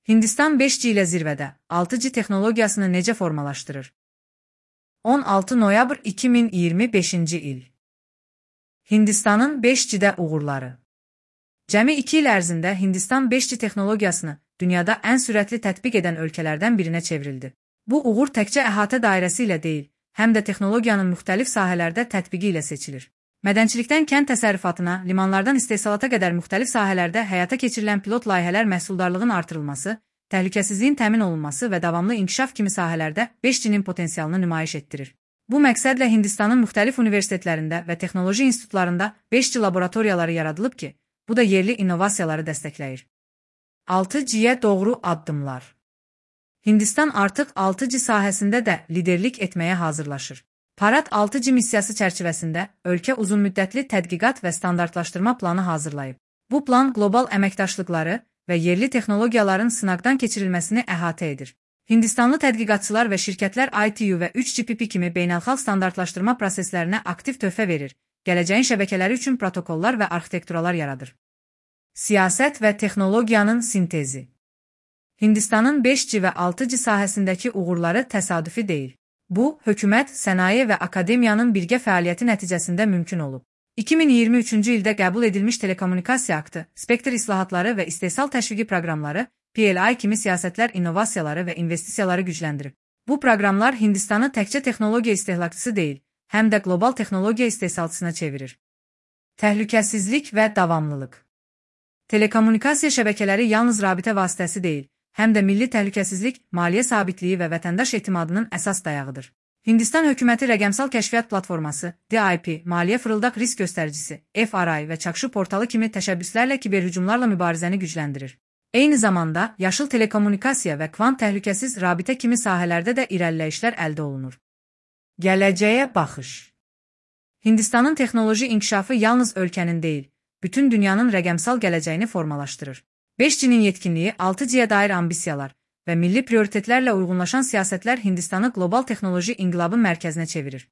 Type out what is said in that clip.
Hindistan 5G ilə zirvədə, 6G texnologiyasını necə formalaşdırır? 16 noyabr 2025-ci il. Hindistanın 5G-də uğurları. Cəmi 2 il ərzində Hindistan 5G texnologiyasını dünyada ən sürətli tətbiq edən ölkələrdən birinə çevrildi. Bu uğur təkcə əhatə dairəsi ilə deyil, həm də texnologiyanın müxtəlif sahələrdə tətbiqi ilə seçilir. Mədənçilikdən kənd təsərrüfatına, limanlardan istehsalata qədər müxtəlif sahələrdə həyata keçirilən pilot layihələr məhsuldarlığın artırılması, təhlükəsizliyin təmin olunması və davamlı inkişaf kimi sahələrdə 5G-nin potensialını nümayiş etdirir. Bu məqsədlə Hindistanın müxtəlif universitetlərində və texnoloji institutlarında 5G laboratoriyaları yaradılıb ki, bu da yerli innovasiyaları dəstəkləyir. 6G-yə doğru addımlar. Hindistan artıq 6G sahəsində də liderlik etməyə hazırlaşır. Parad 6G missiyası çərçivəsində ölkə uzunmüddətli tədqiqat və standartlaşdırma planı hazırlayıb. Bu plan qlobal əməkdaşlıqları və yerli texnologiyaların sınaqdan keçirilməsini əhatə edir. Hindistanlı tədqiqatçılar və şirkətlər ITU və 3GPP kimi beynəlxalq standartlaşdırma proseslərinə aktiv töhfə verir, gələcəyin şəbəkələri üçün protokollar və arxitekturalar yaradır. Siyasət və texnologiyanın sintezi. Hindistanın 5G və 6G sahəsindəki uğurları təsadüfi deyil. Bu, hökumət, sənaye və akademiyanın birgə fəaliyyəti nəticəsində mümkün olub. 2023-cü ildə qəbul edilmiş telekommunikasiya aktı, spektr islahatları və istehsal təşviqi proqramları, PLI kimi siyasətlər innovasiyaları və investisiyaları gücləndirib. Bu proqramlar Hindistanı təkcə texnologiya istehlakçısı deyil, həm də qlobal texnologiya istehsalçısına çevirir. Təhlükəsizlik və davamlılıq. Telekommunikasiya şəbəkələri yalnız rabitə vasitəsi deyil, həm də milli təhlükəsizlik, maliyyə sabitliyi və vətəndaş etimadının əsas dayağıdır. Hindistan hökuməti rəqəmsal kəşfiyyat platforması, DIP, maliyyə fırıldaq risk göstəricisi, FRI və çakşı portalı kimi təşəbbüslərlə kiberhücumlarla mübarizəni gücləndirir. Eyni zamanda, yaşıl telekommunikasiya və kvant təhlükəsiz rabitə kimi sahələrdə də irəliləyişlər əldə olunur. Gələcəyə baxış. Hindistanın texnoloji inkişafı yalnız ölkənin deyil, bütün dünyanın rəqəmsal gələcəyini formalaşdırır. 5G-nin yetkinliyi, 6G-yə dair ambisiyalar və milli prioritetlərlə uyğunlaşan siyasətlər Hindistanı qlobal texnoloji inqilabın mərkəzinə çevirir.